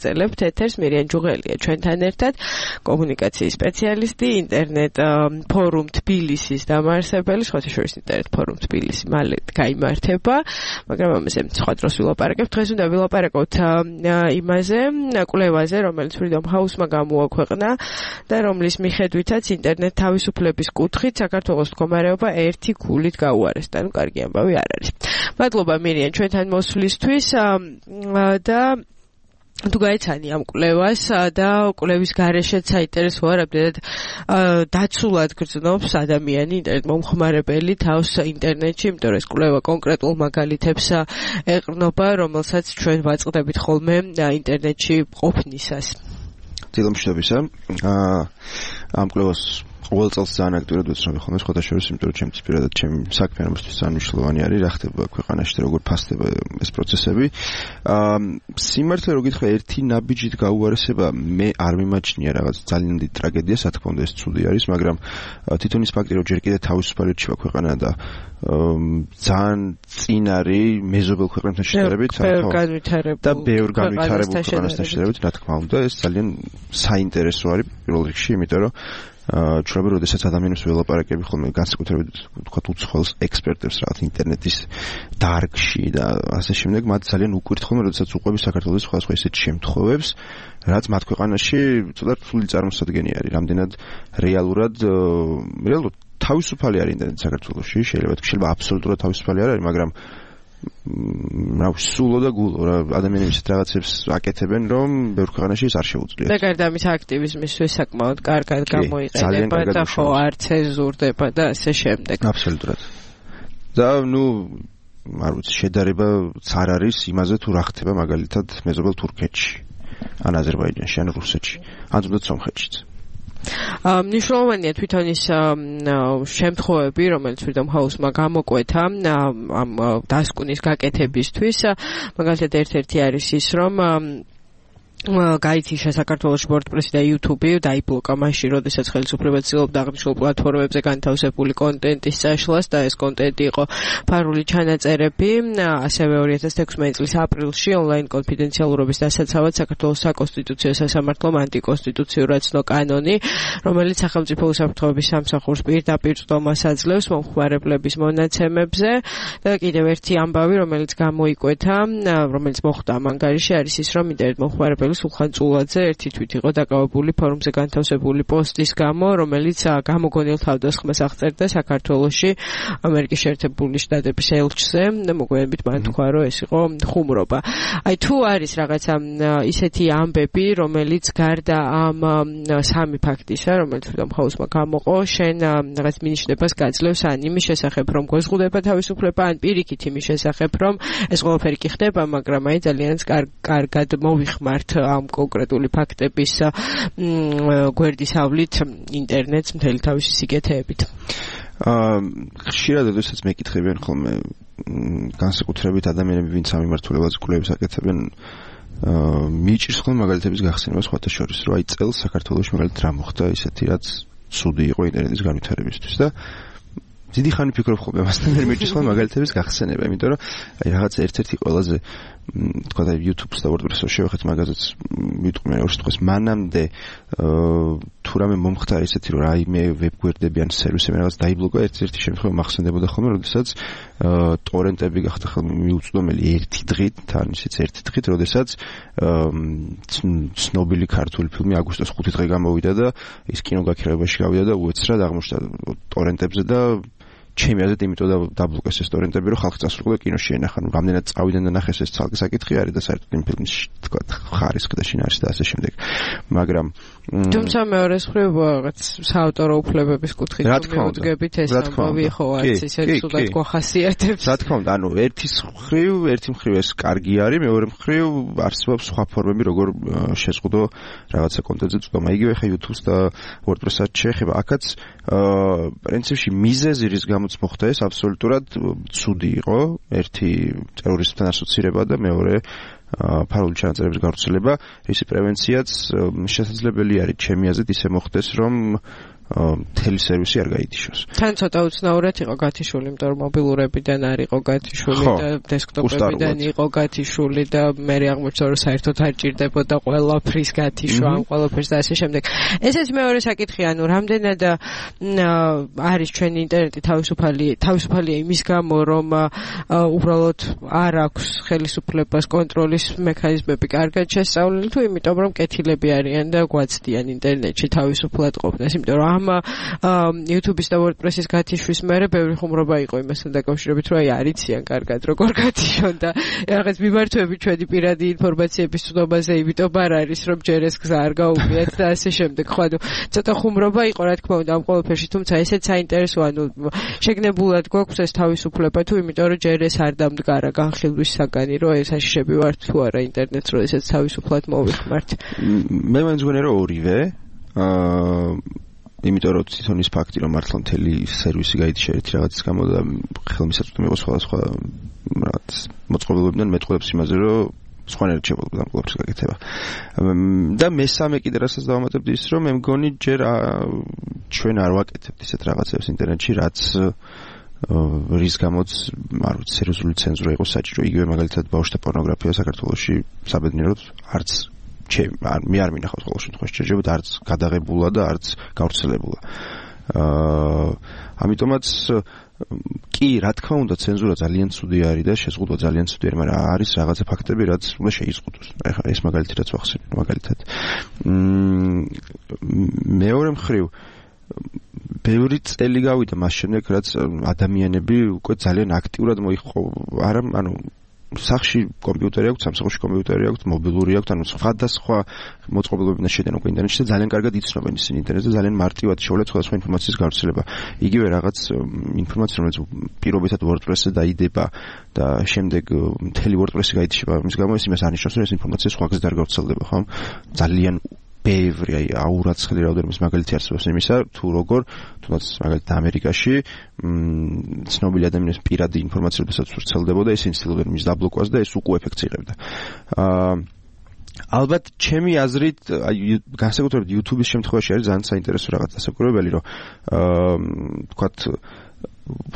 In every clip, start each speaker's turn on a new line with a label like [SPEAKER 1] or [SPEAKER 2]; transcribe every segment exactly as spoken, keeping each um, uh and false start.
[SPEAKER 1] ვაგრძელებთ ეთერს. მირიან ჯუღელია ჩვენთან ერთად, კომუნიკაციის სპეციალისტი, ინტერნეტ ფორუმ თბილისის დამაარსებელი, სხვათა შორის ინტერნეტ ფორუმ თბილისი მალე გაიმართება, მაგრამ ამაზე სხვა დროს ვილაპარაკებთ. დღეს უნდა ვილაპარაკოთ იმაზე, კვლევაზე, რომელიც Freedom House-მა გამოაქვეყნა და რომლის მიხედვითაც ინტერნეტ თავისუფლების კუთხით საქართველოს მდგომარეობა ერთი ქულით გაუარესდა. ნუ კარგი ამბავი არ არის. მადლობა მირიან ჩვენთან მოსვლისთვის და თუ გაიცანი ამ კვლევას და კვლევის გარეშეც საინტერესო არაბდეთ დაცულად გრძნობს ადამიანი ინტერნეტ მომხმარებელი თავს ინტერნეტში, იმიტომ რომ ეს კვლევა კონკრეტულ მაგალითებს ეყრდნობა, რომელსაც ჩვენ ვაწყდებით ხოლმე ინტერნეტში ყოფნისას.
[SPEAKER 2] დილომშვიდობისა. ამ კვლევას ყოველ წელს ძალიან აქტიურად ვეცნობი ხოლმე სხვათა შორის, იმიტომ რომ ჩემთვის პირადად ჩემი საქმე ამისთვის ძალიან მნიშვნელოვანი არის, რა ხდება ქვეყანაში და როგორ ფასდება ეს პროცესები. აა სიმართლე რო გითხრა, ერთი ნაბიჯით გაუარესება მე არ მიმაჩნია რაღაც ძალიან დიდ ტრაგედიას, რა თქმა უნდა ეს ცუდი არის, მაგრამ თვითონ ის ფაქტი რომ ჯერ კიდევ თავისუფალი რჩება ქვეყანა და ძალიან წინ არის მეზობელ ქვეყნებთან შედარებით, და ბევრ განვითარებულ ქვეყანასთან შედარებით, რა თქმა უნდა, ეს ძალიან საინტერესო არის პირველ რიგში, იმიტომ რომ ჩვენ როდესაც ადამიანებს ველაპარაკები ხოლმე განსაკუთრებით ვთქვათ უცხოელ ექსპერტებს რაღაც ინტერნეტის დარგში და ასე შემდეგ, მათ ძალიან უკვირთ ხოლმე როდესაც უყვები საქართველოს სხვადასხვა ისეთ შემთხვევებს, რაც მათ ქვეყანაში ცოტა რთული წარმოსადგენი არის, რამდენად რეალურად რეალურად თავისუფალი არის ინტერნეტი საქართველოში, შეიძლება თქვი შეიძლება აბსოლუტურად თავისუფალი არ არის, მაგრამ რა სულო და გულო რა ადამიანები ისეთ რაღაცებს აკეთებენ, რომ ბევრ ქვეყანაში ეს არ შეუძლიათ.
[SPEAKER 1] და გარდა ამის აქტივიზმისთვის საკმაოდ კარგად გამოიყენება და ხო არ ცენზურდება და ასე შემდეგ.
[SPEAKER 2] აბსოლუტურად. და ნუ არ ვიცი, შედარება არ არის იმაზე თუ რა ხდება მაგალითად მეზობელ თურქეთში, ან აზერბაიჯანში, ან რუსეთში, ან თუნდაც სომხეთშიც.
[SPEAKER 1] მნიშვნელოვანია თვითონ ის შემთხვევები, რომელიც Freedom House-მა გამოკვეთა ამ დასკვნის გაკეთებისთვის, მაგალითად ერთ-ერთი არის ის, რომ გაითიშა საქართველოს WordPress და YouTube დაიბლოკა მაშინ, როდესაც ხელისუფლება ცდილობდა აღნიშნულ პლატფორმებზე განთავსებული კონტენტის წაშლას და ეს კონტენტი იყო ფარული ჩანაწერები. ასევე ორი ათას თექვსმეტი წლის აპრილში ონლაინ კონფიდენციალურობის დასაცავად საქართველოს საკონსტიტუციო სასამართლომ ანტიკონსტიტუციურად ცნო კანონი, რომელიც სახელმწიფო უსაფრთხოების სამსახურს პირდაპირ წვდომას აძლევს მომხმარებლების მონაცემებზე. და კიდევ ერთი ამბავი, რომელიც გამოიკვეთა, რომელიც მოხდა ამ ანგარიში, არის ის, რომ ინტერნეტ მომხმარებელი სულხან წულაძე ერთი თვით იყო დაკავებული ფორუმზე განთავსებული პოსტის გამო, რომელიც გამოგონილ თავდასხმას აღწერდა საქართველოში ამერიკის შეერთებული შტატების ელჩზე და მოგვიანებით მან თქვა, რომ ეს იყო ხუმრობა. აი თუ არის რაღაცა ისეთი ამბები, რომელიც გარდა ამ სამი ფაქტისა, რომელიც Freedom House-მა გამოყო, შენ რაღაც მინიშნებას გაძლევს ან იმის შესახებ, რომ გვეზღუდება თავისუფლება, ან პირიქით იმის შესახებ, რომ ეს ყველაფერი კი ხდება, მაგრამ აი ძალიან კარგად მოვიხმართ ამ კონკრეტული ფაქტების გვერდისავლით ინტერნეტს მთელი თავისი სიკეთეებით.
[SPEAKER 2] აა ხშირად როდესაც მეკითხებიან ხოლმე განსაკუთრებით ადამიანები, ვინც ამ მიმართულებას კვლევებს აკეთებენ, აა მიჭირს ხოლმე მაგალითების გახსენება სხვათა შორის, რომ აი წელს საქართველოში მაგალითად რა მოხდა ისეთი, რაც ცუდი იყო ინტერნეტის განვითარებისთვის და დიდი ხანი ფიქრობ ხოლმე მასთან მე მიჭირს ხოლმე მაგალითების გახსენება, იმიტომ რომ აი რაღაც ერთ-ერთი ყველაზე თქვა და YouTube-ს და WordPress-ს შევეხეთ მაგაზეც ვიტყვი ორ სიტყვას, მანამდე თუ რამე მომხდარა ისეთი, რომ რაიმე ვებგვერდები ან სერვისები რაღაც დაიბლოკა, ერთ-ერთი შემთხვევა მახსენდებოდა ხოლმე, როდესაც ტორენტები გახდა ხოლმე მიუწვდომელი ერთი დღით, თან ისიც ერთი დღით, როდესაც ცნობილი ქართული ფილმი აგვისტოს ხუთი დღე გამოვიდა და ის კინოგაქირავებაში გავიდა და უეცრად აღმოჩნდა ტორენტებზე და ჩემი აზრით იმიტომ დაბლოკეს ეს ტორენტები, რომ ხალხი წასულიყო და კინოში ენახა. ნუ რამდენად წავიდნენ და ნახეს ეს ცალკე საკითხი არის და საერთოდ იმ ფილმის თქვა ხარისხი და შინაარსი და ასე შემდეგ. მაგრამ
[SPEAKER 1] თუმცა მეორეს მხრივ რაღაც საავტორო უფლებების კუთხით მივუძგებით ეს ამბავი ხო არის ისე ცუდად გვახასიათებს.
[SPEAKER 2] რა თქმა უნდა, ანუ ერთის მხრივ, ერთი მხრივ ეს კარგი არის, მეორე მხრივ არსებობს სხვა ფორმები, როგორ შეზღუდო რაღაცა კონტენტზე წვდომა. იგივე ხა YouTube-ს და WordPress-ს შეეხება, აქაც პრინციპში მიზეზი რის გამოც მოხდა ეს აბსოლუტურად ცუდი იყო. ერთი ტერორიზმთან ასოცირება და მეორე ფარული ჩანაწერების გავრცელება, ისი პრევენციაც შესაძლებელი არის ჩემი აზრით ისე მოხდეს, რომ მთელი სერვისი არ გაითიშოს.
[SPEAKER 1] თან ცოტა უცნაურად იყო გათიშული, იმიტომ რომ მობილურებიდან არ იყო გათიშული და დესკტოპებიდან იყო გათიშული და მე აღმოჩნდა რომ საერთოდ არ ჭირდებოდა ყველაფრის გათიშვა, ამ ყველაფერს და ასე შემდეგ. ესეც მეორე საკითხი, ანუ რამდენად არის ჩვენი ინტერნეტი თავისუფალი, თავისუფალია იმის გამო, რომ უბრალოდ არ აქვს ხელისუფლებას კონტროლის მექანიზმები კარგად შესწავლილი, თუ იმიტომ რომ კეთილები არიან და გვაცდიან ინტერნეტში თავისუფლად ყოფნას, იმიტომ რომ ამ YouTube-ის და WordPress-ის გათიშვის მერე ბევრი ხუმრობა იყო იმასთან დაკავშირებით, რომ აი არიციან კარგად როგორ გათიშონ და რაღაც მიმართვები ჩვენი პირადი ინფორმაციების ცნობაზე, იმიტომ არ არის რომ ჯერ ეს გზა არ გაუგიათ და ასე შემდეგ. ხო, ანუ ცოტა ხუმრობა იყო რა თქმა უნდა ამ ყველაფერში, თუმცა ესეც საინტერესოა, ანუ შეგნებულად გვაქვს ეს თავისუფლება თუ იმიტომ რომ ჯერ ეს არ დამდგარა განხილვის საგანი, რომ ეს აშიშები ვართ თუ არა ინტერნეტს, რომ ესეც თავისუფლად მოვიხმართ.
[SPEAKER 2] მე მაინც მგონია რომ ორივე აა იმიტომ რომ თვითონ ის ფაქტი რომ მართლა მთელი სერვისი გაითიშა ერთი რაღაცის გამო და ხელმისაწვდომი იყო სხვადასხვა რაღაც მოწყობილობიდან მეტყველებს იმაზე რომ სხვანაირად შევალდა ამ ყველაფრის გაკეთება. და მესამე კიდე რასაც დავამატებდი ის რომ მე მგონი ჯერ ჩვენ არ ვაკეთებთ ისეთ რაღაცებს ინტერნეტში, რაც რის გამოც არ ვიცი სერიოზული ცენზურა იყო საჭირო. იგივე მაგალითად ბავშვთა პორნოგრაფია საქართველოში საბედნიეროდ არც მე არ მინახავს ყოველ შემთხვევაში შეიძლება არც გადაღებულა და არც გავრცელებულა. აა ამიტომაც კი რა თქმა უნდა ცენზურა ძალიან ცუდი არის და შეზღუდვა ძალიან ცუდი არის, მაგრამ არის რაღაცა ფაქტები რაც უნდა შეიზღუდოს. ეხლა ეს მაგალითი რაც ვახსენე მაგალითად. მეორე მხრივ ბევრი წელი გავიდა მას შემდეგ რაც ადამიანები უკვე ძალიან აქტიურად მოიყო არა ანუ სახში კომპიუტერი აქვს, სამსახურში კომპიუტერი აქვს, მობილური აქვს, ანუ სხვადასხვა მოწყობილობებიდან შედენ უკვე ინტერნეტში და ძალიან კარგად იცნობენ ისინი ინტერნეტს და ძალიან მარტივად შეუძლია სხვადასხვა ინფორმაციის გავრცელება. იგივე რაღაც ინფორმაცია, რომელიც პირობითად WordPress-ზე დაიდება და შემდეგ მთელი WordPress-ი გაითიშება, იმის გამო ეს იმას არნიშნავს, რომ ეს ინფორმაცია სხვა გზით არ გავრცელდება, ხო? ძალიან ბევრი აი აურაცხელი რაოდენობის მაგალითი არსებობს იმისა, თუ როგორ თუნდაც მაგალითად ამერიკაში ცნობილი ადამიანის პირადი ინფორმაცია როდესაც ვრცელდებოდა, ისინი ცდილობდნენ მის დაბლოკვას და ეს უკუ ეფექტს იღებდა. აა ალბათ ჩემი აზრით, აი განსაკუთრებით YouTube-ის შემთხვევაში არის ძალიან საინტერესო რაღაც დასაკვირვებელი, რომ აა თქვათ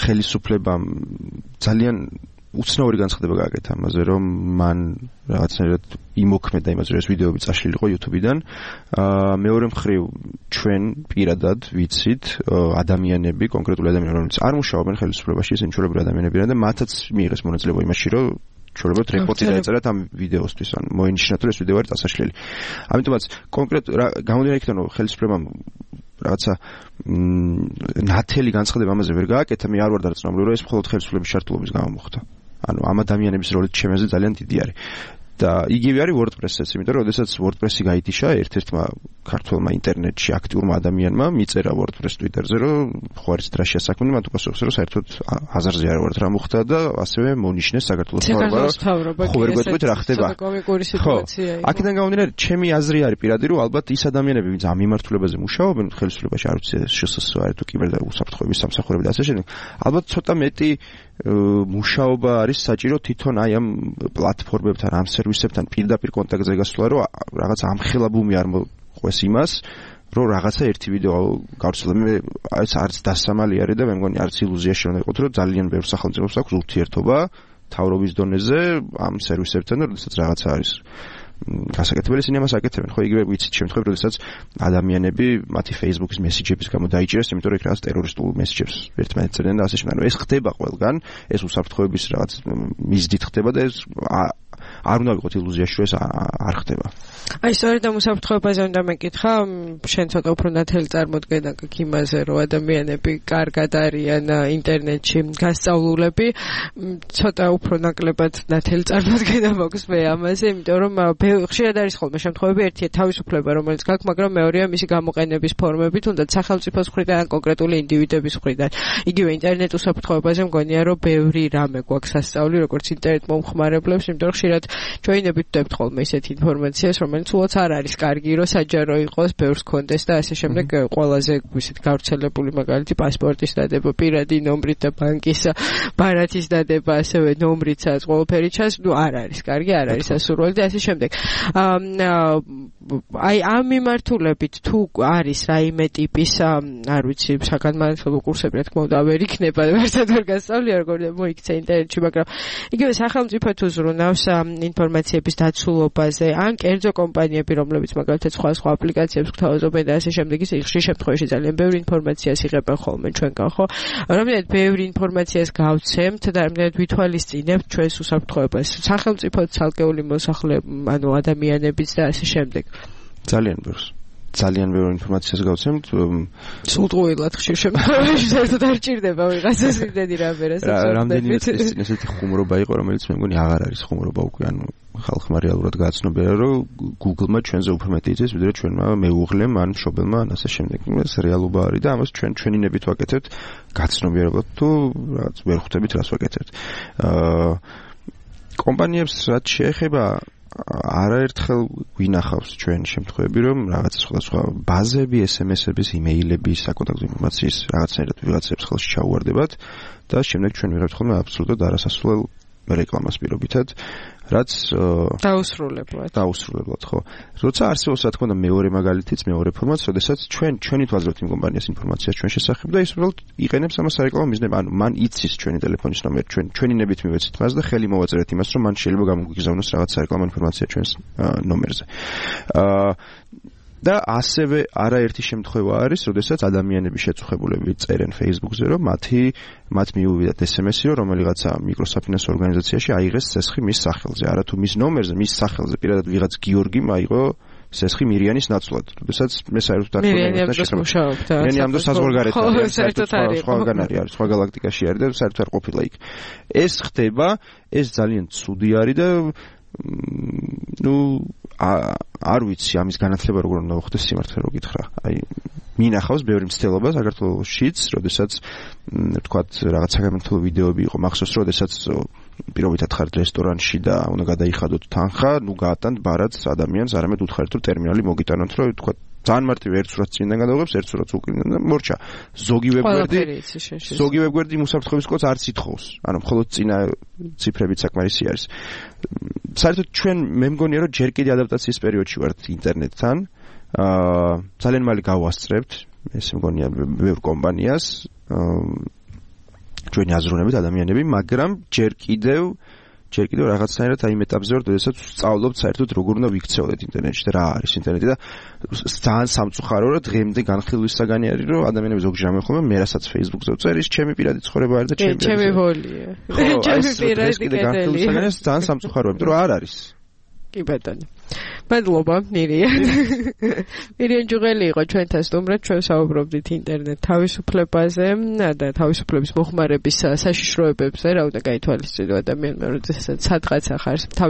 [SPEAKER 2] ხელისუფლებამ ძალიან უცნაური განცხადება გააკეთა ამაზე, რომ მან რაღაცნაირად იმოქმედა იმაზე, რომ ეს ვიდეოები წაშლილიყო YouTube-დან. აა მეორე მხრივ ჩვენ პირადად ვიცით ადამიანები, კონკრეტული ადამიანები, რომლებიც არ მუშაობენ ხელისუფლებაში, ისინი ჩვეულებრივი ადამიანებია და მათაც მიიღეს მონაწილეობა იმაში, რომ ჩვეულებრივად რეპორტი დაეწერათ ამ ვიდეოსთვის, ან მოინიშნათ, რომ ეს ვიდეო არის წასაშლელი. ამიტომაც კონკრეტ გამოდიან იქიდან, რომ ხელისუფლებამ რაღაცა ნათელი განცხადება ამაზე ვერ გააკეთა, მე არ ვარ დარწმუნებული, რომ ეს მხოლოდ ხელისუფლების შარტულობის გამო მოხდა. ანუ ამ ადამიანების როლი ჩემზე ძალიან დიდი არის. და იგივე არის WordPress-იც, იმიტომ რომ შესაძაც WordPress-ი გაითიშა ერთ-ერთმა ქართულმა ინტერნეტში აქტიურმა ადამიანმა მიწერა WordPress Twitter-ზე, რომ ხო არის დრაშია საქმე, მათ უპასუხეს, რომ საერთოდ აზარზე არ ვართ რა მოხდა და ასევე მონიშნეს საქართველოს მთავრობა. ხო, ვერ გვეტყვით რა ხდება. ხო, აქედან გამომდინარე, ჩემი აზრი არის პირადი, რომ ალბათ ის ადამიანები, ვინც ამ მიმართულებაზე მუშაობენ ხელისუფლებაში, არ ვიცი შსს არის თუ კიბერ და უსაფრთხოების სამსახურები და ასე შემდეგ, ალბათ ცოტა მეტი მუშაობა არის საჭირო თვითონ აი ამ პლატფორმებთან, ამ სერვისებთან პირდაპირ კონტაქტზე გასვლა, რომ რაღაც ამხელაბუმი არ მოყვეს იმას, რომ რაღაცა ერთი ვიდეო გავრცელება. მე ეს არც დასამალი არის და მე მგონი არც ილუზია შეიძლება იყოს, რომ ძალიან ბევრ სახელმწიფოს აქვს ურთიერთობა თავრობის დონეზე ამ სერვისებთან, როდესაც რაღაცა არის გასაკეთებელი, ისინი ამას აკეთებენ. ხო, იგივე ვიცით შემთხვევები, როდესაც ადამიანები მათი Facebook-ის მესიჯების გამო დაიჭირეს, იმიტომ რომ იქ რაღაც ტერორისტულ მესიჯებს ერთმანეთს წერდნენ და ასე შემდეგ. ანუ ეს ხდება ყველგან, ეს უსაფრთხოების რაღაც მიზნით ხდება და ეს არ უნდა ვიყოთ ილუზიაში, რომ ეს არ ხდება.
[SPEAKER 1] აი, სწორედ ამ უსაფრთხოებაზე უნდა მეკითხა, შენ ცოტა უფრო ნათელი წარმოდგენა გაქვს იმაზე, რომ ადამიანები კარგად არიან ინტერნეტში გასწავლულები, ცოტა უფრო ნაკლებად ნათელი წარმოდგენა მაქვს მე ამაზე, იმიტომ რომ ხშირად არის ხოლმე შემთხვევები, ერთია თავისუფლება, რომელიც გაქვს, მაგრამ მეორეა მისი გამოყენების ფორმები, თუნდაც სახელმწიფოს მხრიდან ან კონკრეტული ინდივიდების მხრიდან. იგივე ინტერნეტ უსაფრთხოებაზე მგონია, რომ ბევრი რამე გვაქვს ასწავლი, როგორც ინტერნეტ მომხმარებლებს, იმიტომ რომ ხშირად ჩვენებით ვდებთ ხოლმე ისეთ ინფორმაციას, რომელიც უაც არ არის კარგი, რომ საჯარო იყოს, ბევრს კონდეს და ასე შემდეგ. ყველაზე ისეთ გავრცელებული მაგალითი პასპორტის დადება, პირადი ნომრით და ბანკის ბარათის დადება, ასევე ნომრითაც ყველაფერი ჩანს, ნუ არ არის კარგი, არ არის ასურველი და ასე შემდეგ. აი ამ მიმართულებით თუ არის რაიმე ტიპის არ ვიცი საგანმანათლებლო კურსები რა თქმა უნდა ვერ იქნება ვერცად ვერ გასწავლია როგორ მოიქცა ინტერნეტში მაგრამ იგივე სახელმწიფო თუ ზრუნავს ინფორმაციების დაცულობაზე ან კერძო კომპანიები რომლებიც მაგალითად სხვა სხვა აპლიკაციებს გვთავაზობენ და ასე შემდეგ ისე ხშირ შემთხვევაში ძალიან ბევრი ინფორმაციას იღებენ ხოლმე ჩვენგან ხო რამდენად ბევრი ინფორმაციას გავცემთ და რამდენად ვითვალისწინებთ ჩვენს უსაფრთხოებას სახელმწიფო ცალკეული მოსახლე ანუ ადამიანებიც და ასე შემდეგ
[SPEAKER 2] ძალიან ბევრს ძალიან ბევრი ინფორმაციას გავცემთ
[SPEAKER 1] სულტყუილად ხშირ შემთხვევაში საერთოდ არ ჭირდება ვიღაცას იმდენი რამერას
[SPEAKER 2] რამდენიმე წელი ესეთი ხუმრობა იყო რომელიც მე მგონი აღარ არის ხუმრობა უკვე ანუ ხალხმა რეალურად გააცნობიერა რომ Google-მა ჩვენზე უფრო მეტი იცის ვიდრე ჩვენმა მეუღლემ ან მშობელმა ან ასე შემდეგ ეს რეალობა არის და ამას ჩვენ ჩვენი ნებით ვაკეთებთ გაცნობიერებლად თუ რაღაც ვერ ხვდებით რას ვაკეთებთ აა კომპანიებს რაც შეეხება არაერთხელ ვინახავს ჩვენ შემთხვევები რომ რაღაც სხვადასხვა ბაზები, ეს ემ ესების, იმეილების, საკონტაქტო ინფორმაციის რაღაცნაირად ვიღაცებს ხელში ჩაუვარდებათ და შემდეგ ჩვენ ვიღებთ ხოლმე აბსოლუტურად არასასურველ რეკლამას პირობითად, რაც
[SPEAKER 1] დაუსრულებლად.
[SPEAKER 2] დაუსრულებლად, ხო. როცა არსებობს რა თქმა უნდა მეორე მაგალითიც, მეორე ფორმატიც, როდესაც ჩვენ ჩვენით ვაძლევთ იმ კომპანიას ინფორმაციას ჩვენ შესახებ და ის უბრალოდ იყენებს ამას სარეკლამო მიზნებად. ანუ მან იცის ჩვენი ტელეფონის ნომერი, ჩვენ ჩვენი ნებით მივეცით მას და ხელი მოვაწერეთ იმას, რომ მან შეიძლება გამოგვიგზავნოს რაღაც სარეკლამო ინფორმაცია ჩვენს ნომერზე. აა და ასევე არაერთი შემთხვევა არის, როდესაც ადამიანები შეწუხებულები წერენ Facebook-ზე, რომ მათი მათ მიუვიდათ ეს ემ ესი, რომ რომელიღაცა მიკროსაფინანსო ორგანიზაციაში აიღეს ცესხი მის სახელზე, არა თუ მის ნომერზე, მის სახელზე, პირადად ვიღაც გიორგიმ აიღო ცესხი მირიანის ნაცვლად. როდესაც მე საერთოდ არ
[SPEAKER 1] მირიანი ამ დროს მუშაობდა.
[SPEAKER 2] მირიანი ამ დროს საზღვარგარეთ არის,
[SPEAKER 1] საერთოდ არის.
[SPEAKER 2] სხვაგან არის, სხვა galaktikაში არის და საერთოდ არ ყოფილა იქ. ეს ხდება, ეს ძალიან ცუდი არის და ну არ ვიცი ამის განათლება როგორ უნდა მოხდეს სიმართლე რო გითხრა. აი მინახავს ბევრი მცდელობა საქართველოშიც, როდესაც თქვათ რაღაც საგანმანათლებლო ვიდეოები იყო მახსოვს, როდესაც პირობითად ხართ რესტორანში და უნდა გადაიხადოთ თანხა, ну გაატანთ ბარათს ადამიანს, არამედ უთხარით რომ ტერმინალი მოგიტანოთ, რომ თქვათ ძალიან მარტივი ერთ სურათს წინიდან გადავიღებს, ერთ სურათს უკრინდან და მორჩა. ზოგი ვებგვერდი ზოგი ვებგვერდი მოსაფრთხოების კოდს არც ითხოვს. ანუ მხოლოდ წინა ციფრებით საკმარისი არის. საერთოდ ჩვენ მე მგონია რომ ჯერ კიდე ადაპტაციის პერიოდში ვართ ინტერნეტთან. აა ძალიან მალე გავასწრებთ, ეს მგონია ბევრ კომპანიას, ჩვენი აზროვნებით ადამიანები, მაგრამ ჯერ კიდევ ჯერ კიდევ რაღაცნაირად აი მეტაპზე ვარ, როდესაც ვსწავლობთ საერთოდ როგორ უნდა ვიქცეოდეთ ინტერნეტში და რა არის ინტერნეტი და ძალიან სამწუხაროა რომ დღემდე განხილვის საგანი არის რომ ადამიანები ზოგჯერ ამეხობენ მე რასაც Facebook-ზე ვწერ ის ჩემი პირადი ცხოვრება არის და ჩემი
[SPEAKER 1] ჩემი ვოლია. ჩემი პირადი
[SPEAKER 2] განხილვის საგანი არის ძალიან სამწუხაროა, იმიტომ რომ არ არის.
[SPEAKER 1] კი ბატონო. მადლობა მირიან. მირიან ჯუღელი იყო ჩვენთან სტუმრად, ჩვენ საუბრობდით ინტერნეტ თავისუფლებაზე და თავისუფლების მოხმარების საშიშროებებზე, რა უნდა გაითვალისწინო ადამიანმა, როდესაც სადღაც ახარს თავის